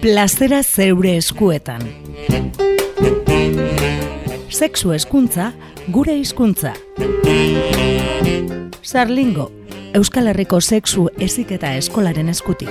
Plazera zeure eskuetan. Sexu hezkuntza, gure hizkuntza. Sarlingo, Euskal Herriko sexu heziketa eskolaren eskutik.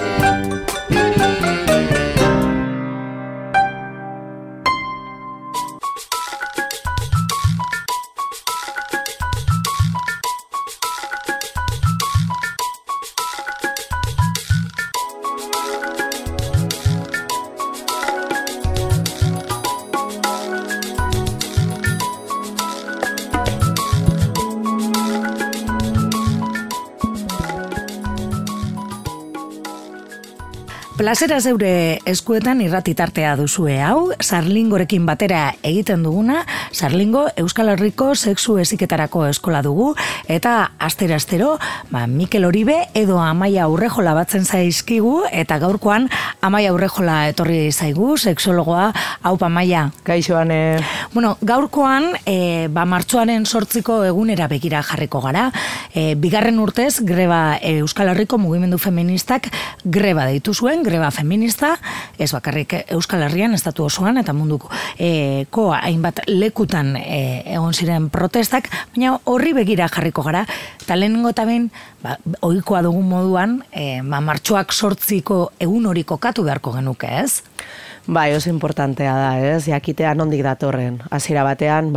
Plazera zeure eskuetan irratitartea duzue hau, Sarlingorekin batera egiten duguna, Sarlingo Euskal Herriko sexu heziketarako eskola dugu, eta astero, Mikel Oribe edo Amaia Urrejola batzen zaizkigu, eta gaurkoan Amaia Urrejola etorri zaigu, sexologoa. Hau, Amaia. Kaixo, Ane. Bueno, gaurkoan, martxoaren 8 egunera begira jarriko gara. Bigarren urtez, greba Euskal Herriko mugimendu feministak greba deitu zuen, greba feminista, ez bakarrik Euskal Herrian, estatu osoan, eta munduko hainbat lekutan egon ziren protestak, baina horri begira jarriko gara, eta lehenengo eta behin, ohikoa dugun moduan, martxoak 8 egun hori kokatu beharko genuke, ez? Bai, oso importantea da, ez? Jakitea nondik datorren. Hasiera batean,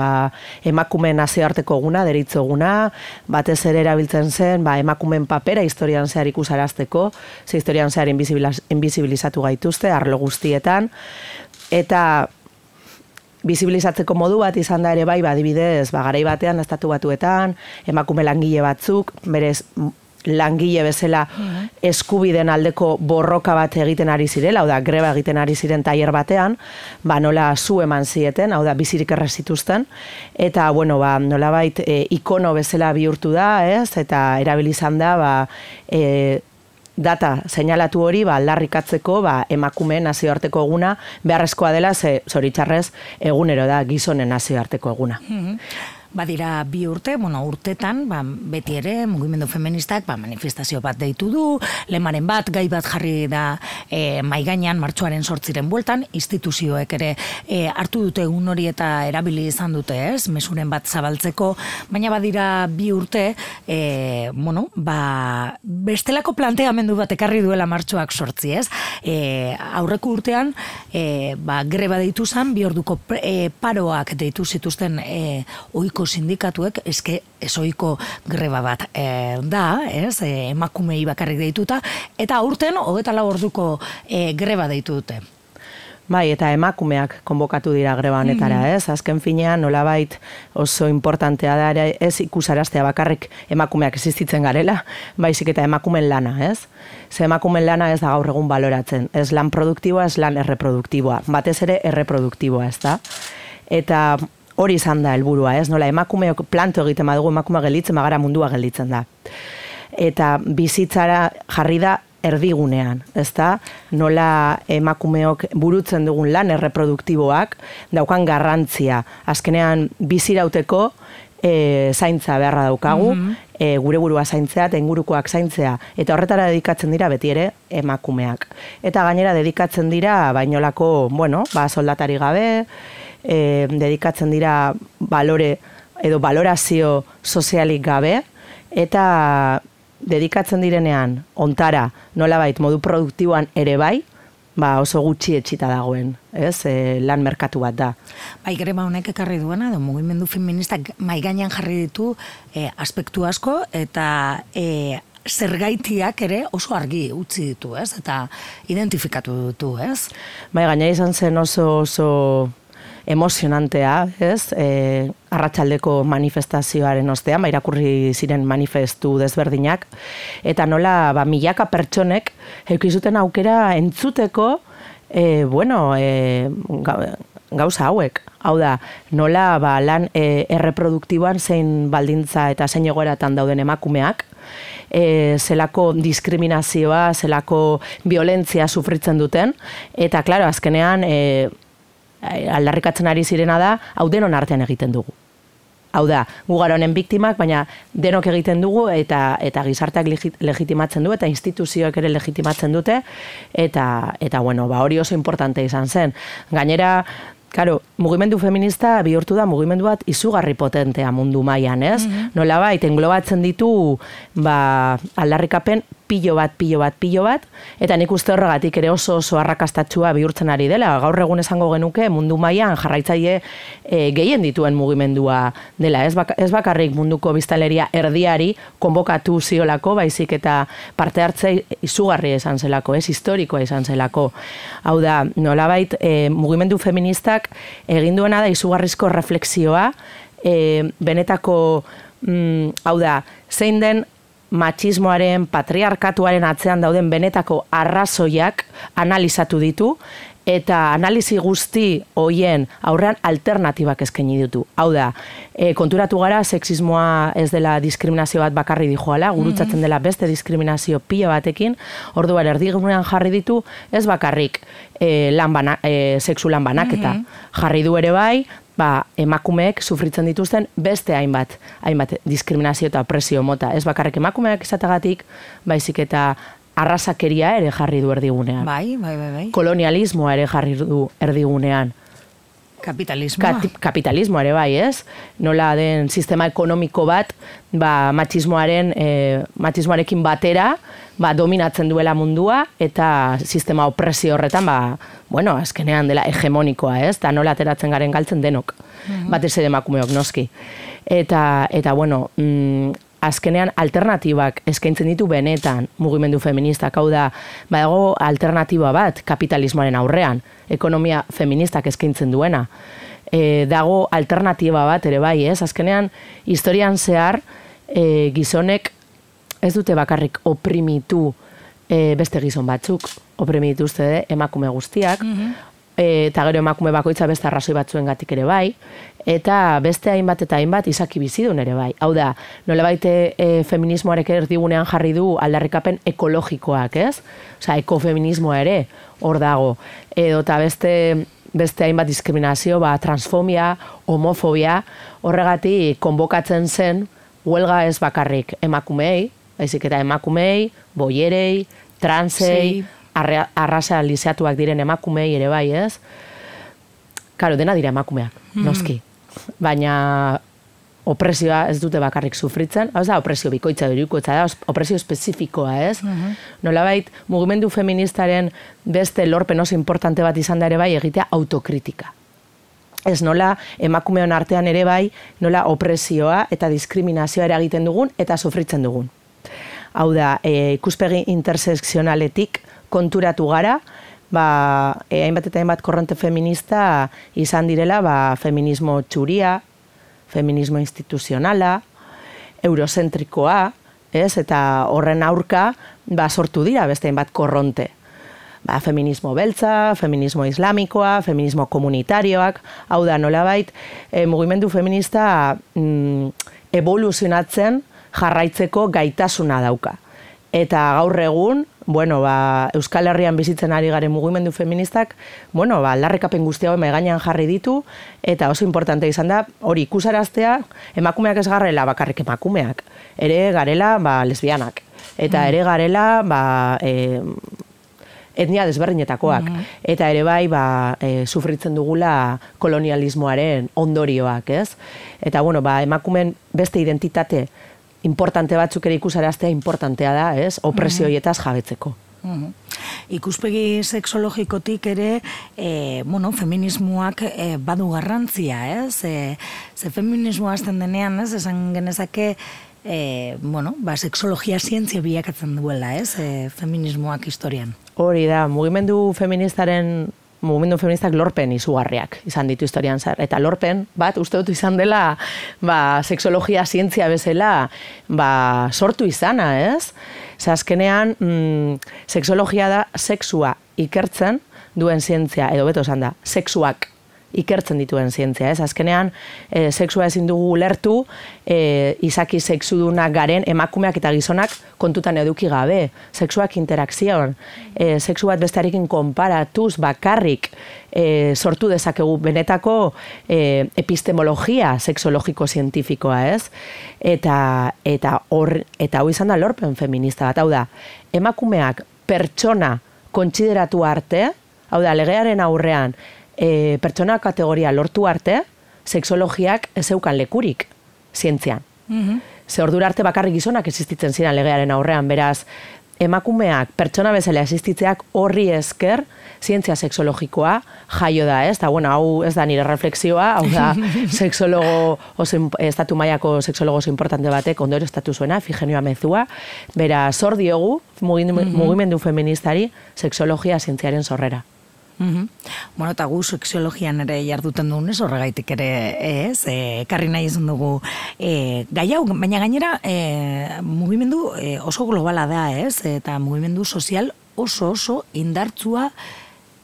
emakumeen nazioarteko eguna, deritzo eguna, batez ere erabiltzen zen, emakumeen papera historian zehar ikusarazteko, ze historian zehar invisibilizatu gaituzte, arlo guztietan, eta bizibilizatzeko modu bat izan da ere bai, adibidez, garai batean, estatu batuetan, emakume langile batzuk, berez, langile bezala eskubideen aldeko borroka bat egiten ari zirela, hau da, greba egiten ari ziren tailer batean, nola zu eman zieten, hau da, bizirik errezituzten, eta, bueno, nolabait ikono bezala bihurtu da, ez, eta erabilizan da, data seinalatu hori, aldarrikatzeko, emakumeen nazioarteko eguna, beharrezkoa dela, zoritxarrez, egunero da, gizonen nazioarteko eguna. Badira 2 urte, urtetan, beti ere, mugimendu feministak, manifestazio bat deitu du, lemaren bat, gai bat jarri da maigainan martxoaren 8 bueltan, instituzioek ere hartu dute egun hori eta erabili izan dute, ez, mesuren bat zabaltzeko, baina badira 2 urte, bestelako planteamendu bat ekarri duela martxoak 8, ez? Aurreko urtean, greba deitu zen, 2 orduko paroak deitu zituzten ohiko sindikatuek, ezoiko greba bat da, ez, emakumei bakarrik deituta, eta aurten 24 orduko greba deitu dute. Bai, eta emakumeak konbokatu dira greba honetara, ez? Azken finean, nolabait oso importantea da, ez ikusaraztea bakarrik emakumeak existitzen garela, baizik eta emakumeen lana, ez? Ze emakumeen lana ez da gaur egun baloratzen, ez lan produktiboa, ez lan erreproduktiboa, batez ere erreproduktiboa, ez da? Eta hori izan da helburua, ez? Nola emakumeok planto egiten badugu, emakumea gelditzen, magara mundua gelditzen da. Eta bizitzara jarri da erdigunean, ez da? Nola emakumeok burutzen dugun lan erreproduktiboak daukan garrantzia. Azkenean bizirauteko zaintza beharra daukagu, gure burua zaintzea eta ingurukoak zaintzea. Eta horretara dedikatzen dira beti ere emakumeak. Eta gainera dedikatzen dira bainolako, soldatari gabe, dedikatzen dira balore edo balorazio sozialik gabe, eta dedikatzen direnean ontara nolabait modu produktiboan ere bai, oso gutxi etxita dagoen, ez? Lan merkatu bat da. Greba honek ekarri duena, mugimendu feministak maigainan jarri ditu aspektu asko, eta zergaitiak ere oso argi utzi ditu, ez? Eta identifikatu ditu, ez? Gaina izan zen oso emozionantea, ez? Arratsaldeko manifestazioaren ostean, irakurri ziren manifestu desberdinak, eta nola, milaka pertsonek eukizuten aukera entzuteko, gauza hauek. Hau da, nola lan erreproduktiboan zein baldintza eta zein egoeratan dauden emakumeak, zelako diskriminazioa, zelako violentzia sufritzen duten, eta, klaro, azkenean, aldarrikatzen ari zirena da, hau denon artean egiten dugu. Hau da, gu gara honen biktimak, baina denok egiten dugu eta gizarteak legitimatzen du, eta instituzioek ere legitimatzen dute, eta bueno, hori oso importante izan zen. Gainera, claro, mugimendu feminista bihurtu da mugimendu bat izugarri potentea mundu mailan, ez? Nolabait englobatzen ditu aldarrikapen pilo bat, eta nik uste horregatik ere oso arrakastatsua bihurtzen ari dela. Gaur egun esango genuke mundu mailan jarraitzaile gehien dituen mugimendua dela. Ez bakarrik munduko biztanleria erdiari konbokatu ziolako, baizik eta parte hartzea izugarri izan zelako, historikoa izan zelako. Hau da, nolabait mugimendu feministak egin duena da izugarrizko reflexioa, benetako, hau da, zein den matxismoaren, patriarkatuaren atzean dauden benetako arrazoiak analizatu ditu, eta analizi guzti hoien aurrean alternatibak eskaini ditu. Hau da, konturatu gara sexismoa ez dela diskriminazio bat bakarri dijoala, gurutzatzen dela beste diskriminazio pila batekin, orduan erdigunean jarri ditu, ez bakarrik sexu lan banaketa. Jarri du ere bai, emakumeek sufritzen dituzten beste hainbat diskriminazio eta opresio mota. Ez bakarrik emakumeak izatagatik, baizik eta arrazakeria ere jarri du erdigunean. Bai. Kolonialismoa ere jarri du erdigunean. Kapitalismoa ere bai, ez? Nola den sistema ekonomiko bat, matxismoarekin batera, dominatzen duela mundua, eta sistema opresio horretan, azkenean dela hegemonikoa, ez? Eta nola ateratzen garen galtzen denok. Batez ere emakumeok noski. Eta bueno, azkenean alternatibak eskaintzen ditu benetan mugimendu feministak, hau da, badago alternatiba bat kapitalismoaren aurrean, ekonomia feministak eskaintzen duena. Dago alternatiba bat ere bai, ez? Azkenean, historian zehar, gizonek ez dute bakarrik oprimitu beste gizon batzuk, oprimitu emakume guztiak, eta gero emakume bakoitza beste arrazoi batzuengatik ere bai, eta beste hainbat izaki bizidun ere bai. Hau da, nolabait feminismoarek erdigunean jarri du aldarrikapen ekologikoak, ez? Osea, ekofeminismoa ere hor dago. Edo eta beste hainbat diskriminazio, transfobia, homofobia, horregatik konbokatzen zen huelga ez bakarrik emakumei, baizik eta emakumei, boierei, transei, arraza lizeatuak diren emakumei ere bai, ez? Karo, dena dira emakumeak, noski. Baina opresioa ez dute bakarrik sufritzen, hau da, opresio bikoitza durikoitza da, opresio espezifikoa, ez? Nolabait, mugimendu feministaren beste lorpen oso importante bat izan da ere bai egitea autokritika. Ez nola emakumeon artean ere bai, nola opresioa eta diskriminazioa eragiten dugun eta sufritzen dugun. Hau da, ikuspegi intersekzionaletik konturatu gara, hainbat eta hainbat korronte feminista izan direla, feminismo txuria, feminismo instituzionala, eurozentrikoa, eta horren aurka sortu dira beste hainbat korronte. Feminismo beltza, feminismo islamikoa, feminismo komunitarioak, hau da nolabait, mugimendu feminista evoluzionatzen jarraitzeko gaitasuna dauka. Eta gaur egun, Euskal Herrian bizitzen ari garen mugimendu feministak, aldarrikapen guzti hau mahai gainean jarri ditu, eta oso importante izan da, hori ikusaraztea, emakumeak ez garela bakarrik emakumeak, ere garela lesbianak, eta ere garela etnia desberdinetakoak, eta ere bai sufritzen dugula kolonialismoaren ondorioak, ez? Eta emakumeen beste identitate importante batzuk ere ikusaraztea importantea da, ez? Opresioietaz jabetzeko. Ikuspegi sexologikotik ere, feminismoak badu garrantzia, ez? Ze feminismoa azten denean, ez? Esan genezake, sexologia zientzia bilakatzen duela, ez? Feminismoak historian. Hori da, mugimendu feministak lorpen izugarriak izan ditu historian zer. Eta lorpen bat, uste dut izan dela, sexologia zientzia bezala, sortu izana, ez? Azkenean, sexologia da sexua ikertzen duen zientzia, edo beto esan da, sexuak ikertzen dituen zientzia, ez? Azkenean, sexua ezin dugu ulertu, izaki sexudunak garen emakumeak eta gizonak kontutan eduki gabe. Sexuak interakzioan, sexu bat bestearekin konparatuz bakarrik sortu dezakegu benetako epistemologia sexologiko-zientifikoa, ez? Eta hau izan da lorpen feminista bat, hau da, emakumeak pertsona kontsideratu arte, hau da, legearen aurrean pertsona kategoria lortu arte, sexologiak ez zeukan lekurik zientzian. Ze ordura arte bakarrik gizonak existitzen ziren legearen aurrean, beraz, emakumeak pertsona bezala existitzeak horri esker zientzia sexologikoa jaio da, ez? Eta, bueno, hau ez da nire reflexioa, hau da, estatu mailako sexologo oso importante batek ondorio estatu zuena, Figenio Amezua, bera, zor diogu mugimendu feministari sexologia zientziaren sorrera. Bueno, eta gu sexologian ere jarduten dugunez, horregaitik ere ez, ekarri nahi izan dugu gai hau, baina gainera mugimendu oso globala da, ez, eta mugimendu sozial oso indartsua,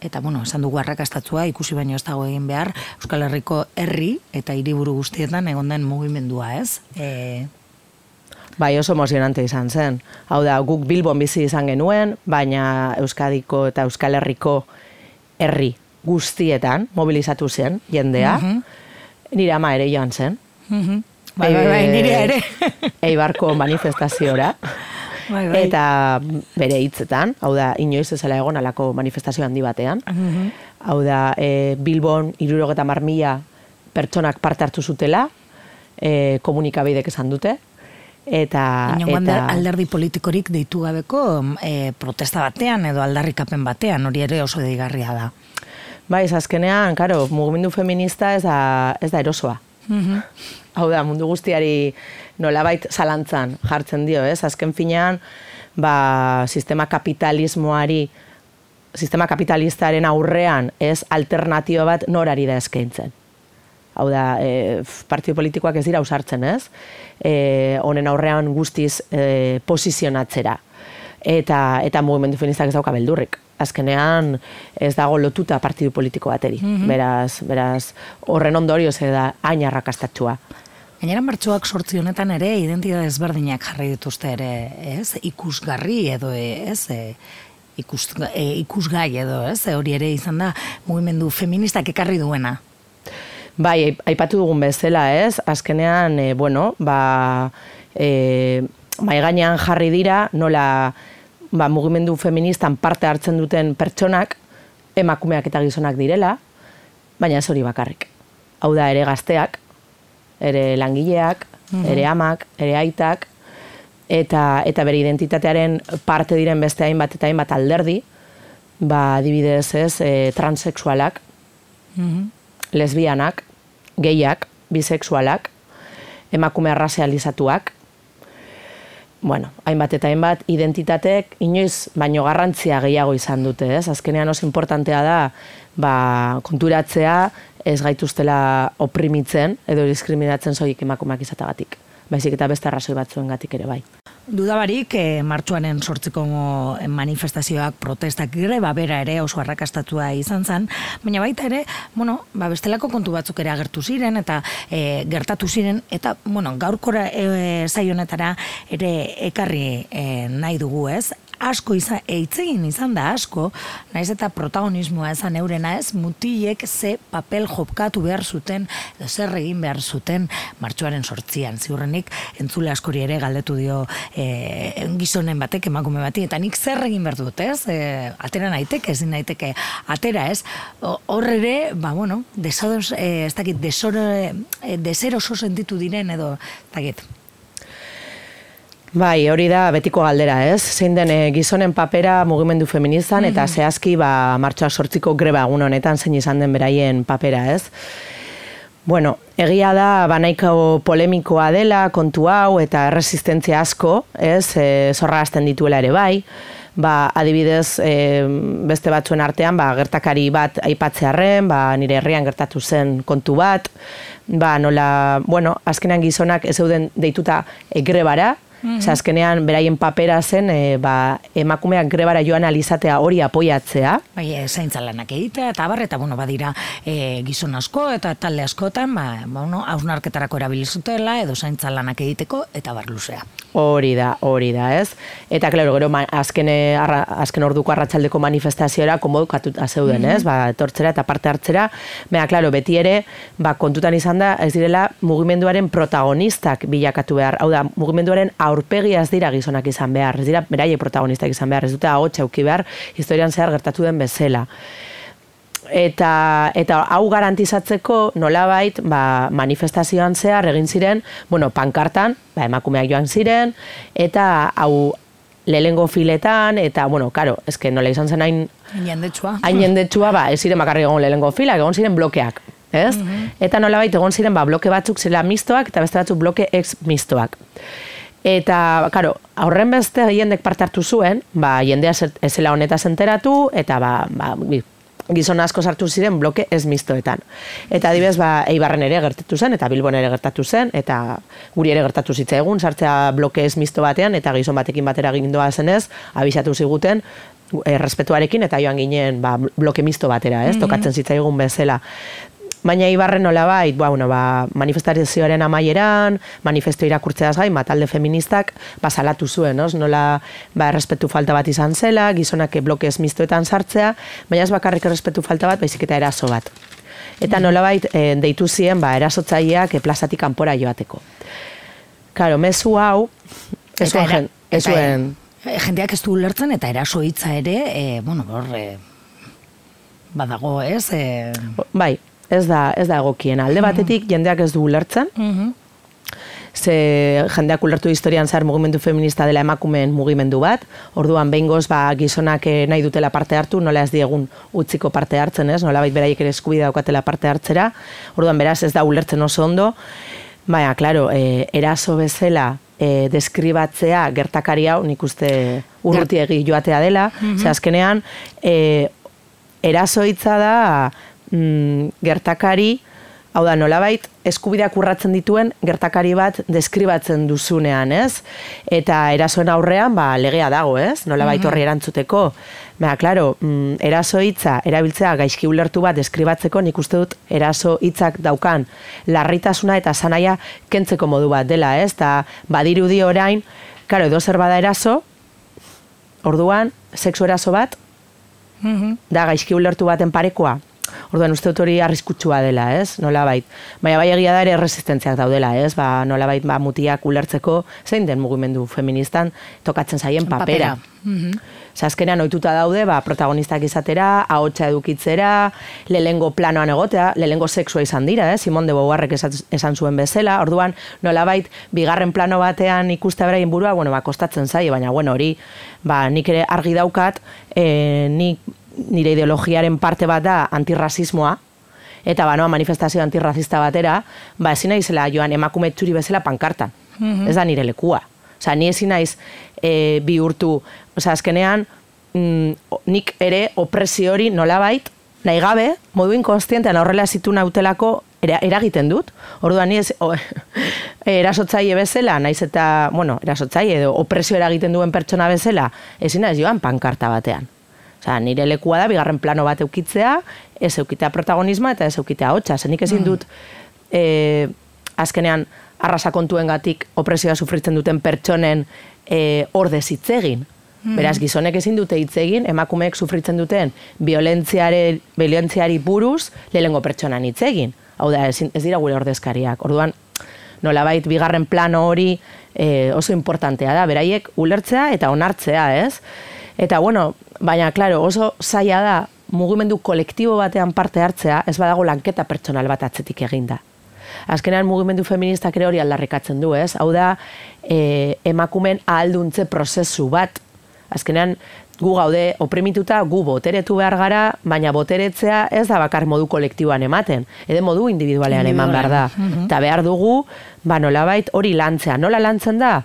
eta, bueno, esan dugu arrakastatua, ikusi baino ez dago egin behar, Euskal Herriko herri eta hiriburu guztietan egon den mugimendua, ez? Bai, oso emozionante izan zen. Hau da, guk Bilbon bizi izan genuen, baina Euskadiko eta Euskal Herriko herri guztietan mobilizatu zen jendea. Nire ama ere joan zen. Bai, nire ere. Eibarko manifestaziora. Bai. Eta bere hitzetan, hau da, inoiz ezela egon alako manifestazio handi batean. Hau da, Bilbon 70.000 pertsonak parte hartu zutela, komunikabidek esan dute. Inongo alderdi politikorik deitu gabeko protesta batean edo aldarrikapen batean, hori ere oso deigarria da. Bai, azkenean, karo, mugimendu feminista ez da erosoa. Hau da, mundu guztiari nolabait zalantzan jartzen dio, ez? Azken finean, sistema kapitalistaren aurrean ez alternatio bat norari da eskaintzen. Hau da, partido politikoak ez dira ausartzen, ez? Honen aurrean guztiz posizionatzera. Eta mugimendu feministak ez dauka beldurrik. Azkenean ez dago lotuta partidu politiko bateri. Beraz, horren ondorioz da hain arrakastatsua. Gainera martxoak 8 honetan ere identitate ezberdinak jarri dituzte ere, ez? Ikusgarri edo, ez? Ikusgai edo, ez? Hori ere izan da mugimendu feministak ekarri duena. Bai, aipatu dugun bezala, ez? Azkenean, maigainean jarri dira, nola mugimendu feministan parte hartzen duten pertsonak, emakumeak eta gizonak direla, baina ez hori bakarrik. Hau da, ere gazteak, ere langileak, ere amak, ere aitak, eta bere identitatearen parte diren beste hainbat eta hainbat alderdi, adibidez ez, transexualak, lesbianak, gehiak, bisexualak, emakume arrazializatuak, hainbat eta hainbat identitateek inoiz baino garrantzia gehiago izan dute, ez? Azkenean oso importantea da, konturatzea ez gaituztela oprimitzen edo diskriminatzen soilik emakumeak izatagatik. Baizik eta beste arrazoi batzuengatik ere bai. Dudabarik, martxoaren 8ko manifestazioak, protestak, greba bera ere oso arrakastatua izan zen, baina baita ere, bestelako kontu batzuk ere agertu ziren, eta gertatu ziren, eta, gaurkora zaionetara ere ekarri nahi dugu, ez? Asko eitzegin izan da asko, naiz eta protagonismoa ezan eurena ez, mutilek ze papel jokatu behar zuten, edo zer egin behar zuten martxoaren 8an. Ziurrenik, entzule askori ere galdetu dio gizonen batek, emakume bati, eta nik zer egin behar dut, ez? Atera naiteke, ezin naiteke atera, ez? Hor ere, deseroso sentitu diren edo, ez dakit. Bai, hori da betiko galdera, ez? Zein den gizonen papera mugimendu feministan, eta zehazki martxoak 8ko greba egun honetan zein izan den beraien papera, ez? Egia da, nahiko polemikoa dela kontu hau eta erresistentzia asko, ez? Zorrazten dituela ere bai. Adibidez, beste batzuen artean, gertakari bat aipatzearren, nire herrian gertatu zen kontu bat, azkenean gizonak ez zeuden deituta grebara, Azkenean, beraien papera zen, emakumeak grebara joan alizatea hori apoiatzea. Bai, zaintza lanak egitea, eta abar, eta badira gizon asko, eta talde askotan, hausnarketarako erabilizutela, edo zaintza lanak egiteko, eta bar luzea. Hori da, ez? Eta, klaro, gero, azken orduko arratsaldeko manifestazioa konbokatuta zeuden, ez? Etortzera eta parte hartzera. Baina, klaro, beti ere, kontutan izan da, ez direla mugimenduaren protagonistak bilakatu behar. Hau da, mugimenduaren aurpegia ez dira gizonak izan behar, ez dira beraiek protagonistak izan behar, ez dute ahotsa auki behar, historian zehar gertatu den bezala. Eta hau garantizatzeko nolabait manifestazioan zehar egin ziren, pankartan, emakumeak joan ziren, eta hau lehengo filetan, eta, karo, eske nola izan zen hain jendetsua, ez ziren bakarrik egon lehengo filak, egon ziren blokeak, ez? Eta nolabait egon ziren bloke batzuk zela mistoak, eta beste batzuk bloke ex mistoak. Eta, karo, aurren beste jendek parte hartu zuen, jendea ezela honetaz enteratu, eta gizon asko sartu ziren bloke ez mistoetan. Eta adibidez, Eibarren ere gertatu zen, eta Bilbon ere gertatu zen, eta guri ere gertatu zitzaigun, sartzea bloke ez misto batean, eta gizon batekin batera gindoa zenez, abisatu ziguten, errespetuarekin, eta joan ginen bloke misto batera, ez, tokatzen zitzaigun bezala. Baina Ibarren nolabait, manifestazioaren amaieran, manifesto irakurtzeaz gain, talde feministak salatu zuen, nola errespetu falta bat izan zela, gizonak bloke ez mistoetan sartzea, baina ez bakarrik errespetu falta bat, baizik eta eraso bat. Eta nolabait deitu ziren erasotzaileak plazatik kanpora joateko. Karo, mezu hau, ez zuen... Jendeak ez du ulertzen eta eraso hitza ere, badago, ez? Bai. Ez da egokien. Alde batetik jendeak ez du ulertzen. Ze jendeak ulertu historian zehar mugimendu feminista dela emakumeen mugimendu bat. Orduan behingoz gizonak nahi dutela parte hartu, nola ez diegun utziko parte hartzen, ez? Nolabait beraiek ere eskubidea daukatela parte hartzera. Orduan beraz ez da ulertzen oso ondo. Baina, klaro, eraso bezala deskribatzea gertakari hau, nik uste urrutiegi joatea dela. Ze azkenean, eraso hitza da gertakari, hau da nolabait, eskubideak urratzen dituen gertakari bat deskribatzen duzunean, ez? Eta erasoen aurrean, legea dago, ez? Nolabait horri erantzuteko. Baina, klaro, eraso hitza erabiltzea gaizki ulertu bat deskribatzeko, nik uste dut eraso hitzak daukan larritasuna eta sanaia kentzeko modu bat dela, ez? Eta badirudi orain, klaro, edo zer bada eraso, orduan, sexu eraso bat, da gaizki ulertu baten parekoa. Orduan uste dut hori arriskutsua dela, ez? Nolabait. Baina bai egia da ere resistentziak daudela, ez? Nolabait mutiak ulertzeko zein den mugimendu feministan tokatzen zaien papera. Azkenean ohituta daude, protagonistak izatera, ahotsa edukitzera, lehengo planoan egotea, lehengo sexua izan dira, Simone de Beauvoirrek esan zuen bezala. Orduan nolabait bigarren plano batean ikustea beraien burua, kostatzen zaie, baina hori, nik ere argi daukat, nire ideologiaren parte bat da antirrazismoa, eta manifestazio antirrazista batera, ezin naizela joan emakume txuri bezala pankartan. Ez da nire lekua. Ni ezin naiz bihurtu, azkenean, nik ere opresio hori nolabait, nahi gabe, modu inkonstientean horrela zitu nautelako eragiten dut. Orduan ni erasotzaile bezala, naiz eta, erasotzaile edo opresio eragiten duen pertsona bezala, ezin naiz joan pankarta batean. Nire lekua da, bigarren plano bat eukitzea, ez eukitea protagonismoa eta ez eukitea hotxa. Nik ezin dut, azkenean, arrasa kontuengatik opresioa sufritzen duten pertsonen ordez hitz egin. Beraz, gizonek ezin dute hitz egin, emakumeek sufritzen duten violentziari buruz lehengo pertsonan hitz egin. Hau da, ez dira gure ordezkariak. Orduan, nolabait, bigarren plano hori oso importantea da, beraiek ulertzea eta onartzea, ez? Eta, baina, klaro, oso zaila da, mugimendu kolektibo batean parte hartzea, ez badago lanketa pertsonal bat atzetik eginda. Azkenean mugimendu feministak ere hori aldarrikatzen du, ez? Hau da, emakumen ahalduntze prozesu bat. Azkenean, gu gaude oprimituta, gu boteretu behar gara, baina boteretzea ez da bakar modu kolektiboan ematen, edo modu individualean eman behar da. Eta behar dugu, nolabait hori lantzea. Nola lantzen da?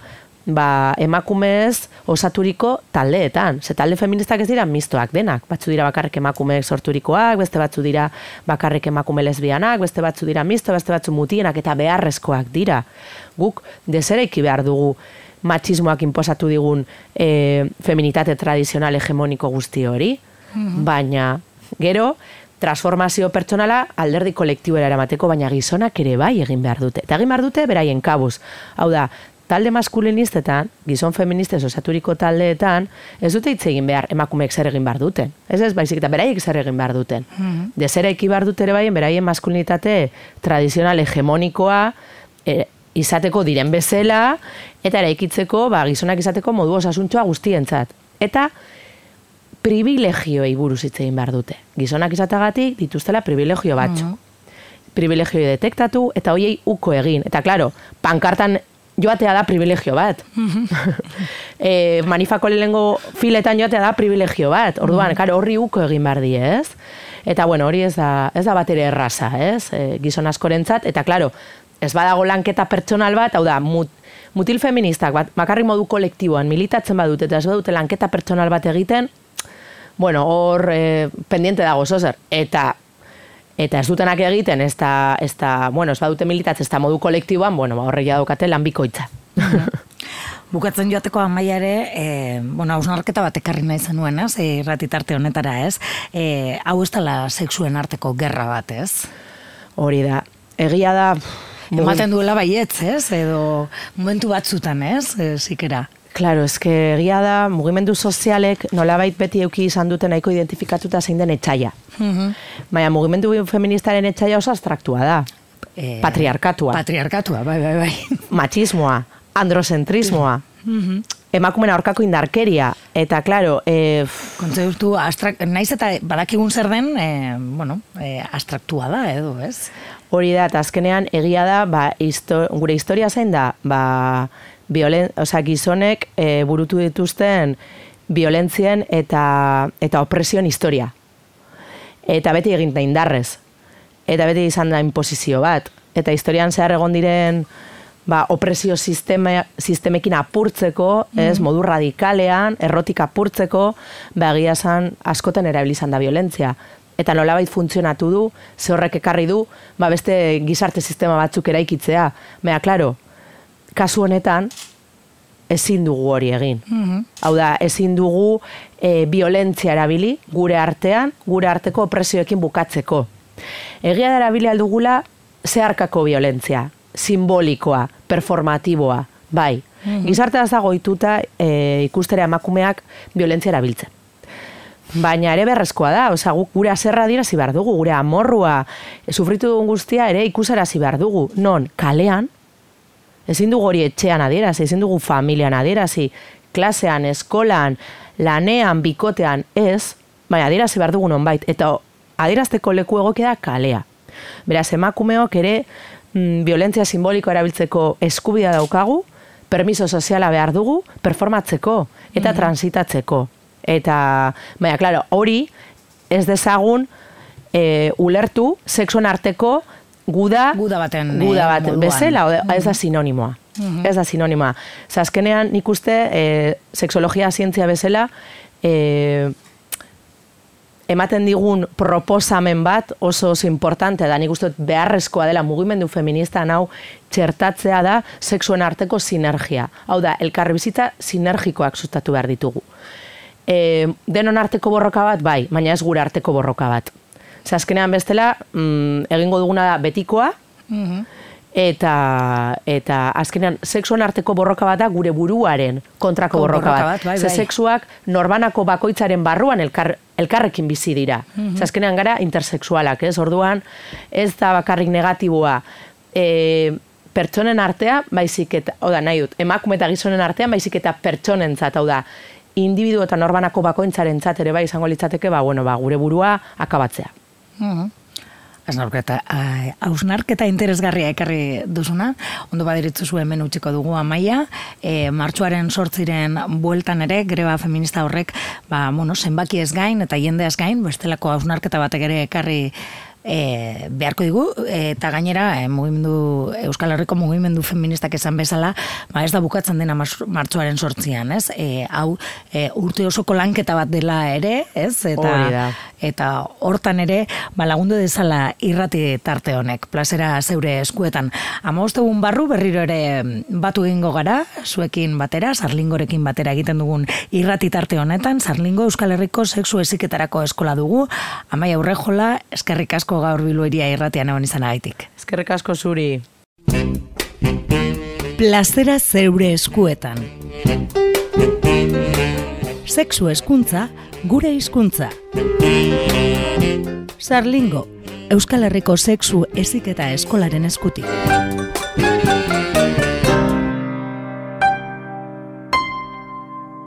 Emakumez osaturiko taldeetan. Ze talde feministak ez dira mistoak denak. Batzu dira bakarrik emakumeek sorturikoak, beste batzu dira bakarrik emakume lesbianak, beste batzu dira misto, beste batzu mutienak eta beharrezkoak dira. Guk desereiki behar dugu matxismoak inposatu digun feminitate tradizional hegemoniko guzti hori, baina gero, transformazio pertsonala alderdi kolektibera eramateko, baina gizonak ere bai egin behar dute. Eta egin behar dute beraien kabuz. Hau da, talde maskulinistetan, gizon feministez osaturiko taldeetan, ez dute hitz egin behar emakumeek zer egin behar duten. Ez, baizik eta beraiek zer egin behar duten. Dezera eki behar dute ere bai, beraien maskulinitate tradizional hegemonikoa izateko diren bezala, eta eraikitzeko, gizonak izateko modu osasuntxoa guztientzat. Eta privilegioei buruz hitz egin behar dute. Gizonak izatagatik dituztela privilegio batzu. Privilegioi detektatu eta hoiei uko egin. Eta klaro, pankartan joatea da privilegio bat. Manifako lehengo filetan joatea da privilegio bat. Orduan, horri uko egin behar die, ez? Eta bueno, hori ez da bat ere erraza, ez? Gizon askorentzat, eta klaro, ez badago lanketa pertsonal bat, hau da, mutil feministak, bakarrik modu kolektiboan militatzen badute, eta ez badute lanketa pertsonal bat egiten, bueno, hor pendiente dago zozer. Eta ez dutenak egiten, ez badute militatzen, ez da modu kolektiboan, bueno, horregia daukate lan bikoitza. Bukatzen joateko Amaia ere, hausnarketa bat ekarri nahi zenuen, ez? Irratitarte honetara, ez? Hau ez dela sexuen arteko gerra bat, ez? Hori da. Egia da... Ematen duela baietz, ez? Edo momentu batzutan, ez? Zikera. Claro, egia da, mugimendu sozialek nolabait beti euki izan duten nahiko identifikatuta zein den etxaia. Baina mugimendu feministaren etxaia oso abstraktua da. Patriarkatua. Patriarkatua, bai. Machismoa, androcentrismoa, emakumen aurkako indarkeria, eta, klaro... Kontzeptu, naiz eta badakigun zer den, abstraktua da, edo, ez? Hori da, eta azkenean egia da, gure historia zein da, gizonek burutu dituzten violentzien eta opresion historia. Eta beti egin da indarrez. Eta beti izan da imposizio bat. Eta historian zehar egon diren opresio sistemekin apurtzeko, modu radikalean, errotik apurtzeko, egia esan askoten erabilizan da violentzia. Eta nolabait funtzionatu du, ze horrek ekarri du, beste gizarte sistema batzuk eraikitzea. Baina, klaro, kasu honetan, ezin dugu hori egin. Hau da, ezin dugu violentzia erabili gure artean, gure arteko opresioekin bukatzeko. Egia da erabili aldugula zeharkako violentzia, simbolikoa, performatiboa, bai. Gizartea ez dago ohituta ikustera emakumeak violentzia erabiltzen. Baina ere berrezkoa da, guk gure azerra adierazi behar dugu, gure amorrua, sufritu dugun guztia ere ikusarazi behar dugu. Non, kalean, ezin dugu hori etxean adierazi, ezin dugu familian adierazi, klasean, eskolan, lanean, bikotean, ez, baina adierazi behar dugu nonbait, eta adierazteko leku egokia da kalea. Beraz, emakumeok ere violentzia simboliko erabiltzeko eskubidea daukagu, permiso soziala behar dugu, performatzeko eta transitatzeko. Eta, baina, klaro, hori ez dezagun ulertu sexuen arteko guda baten bezala, ez da sinonimoa. Ez da sinonimoa. Azkenean nik uste sexologia zientzia bezala ematen digun proposamen bat oso importante da, nik uste beharrezkoa dela mugimendu feminista hau txertatzea da sexuen arteko sinergia. Hau da, elkarbizitza sinergikoak sustatu behar ditugu. Denon arteko borroka bat, bai, baina ez gure arteko borroka bat. Azkenean bestela, egingo duguna da betikoa, eta azkenean sexuan arteko borroka bat da gure buruaren kontrako borroka bat. Ze sexuak norbanako bakoitzaren barruan elkarrekin bizi dira. Azkenean gara intersexualak, ez? Orduan, ez da bakarrik negatiboa pertsonen artea, baizik eta, nahi dut, emakume eta gizonen artean, baizik eta pertsonentzat, hau da, individu eta norbanako bakoitzaren ere bai izango litzateke, gure burua akabatzea. Hausnarketa interesgarria ekarri duzuna, ondo badiritzu zuen hemen utziko dugu Amaia, martxoaren 8 bueltan ere, greba feminista horrek, zenbaki ez gain eta jende ez gain, bestelako hausnarketa batek ere ekarri beharko digu, eta gainera Euskal Herriko mugimendu feministak esan bezala, ez da bukatzen dena martxoaren 8an, ez? Hau urte osoko lanketa bat dela ere, ez? Eta eta hortan ere lagundu dezala irrati tarte honek, plazera zeure eskuetan. 15 egun barru berriro ere batu egingo gara, zuekin batera, Sarlingorekin batera egiten dugun irrati tarte honetan, Sarlingo Euskal Herriko Sexu Heziketarako Eskola dugu. Amaia Urrejola, eskerrik asko gaur Bilboiria irratian egon izanagaitik. Eskerrik asko zuri. Plazera zeure eskuetan. Sexu hezkuntza, gure hizkuntza. Sarlingo, Euskal Herriko Sexu Heziketa Eskolaren eskutik.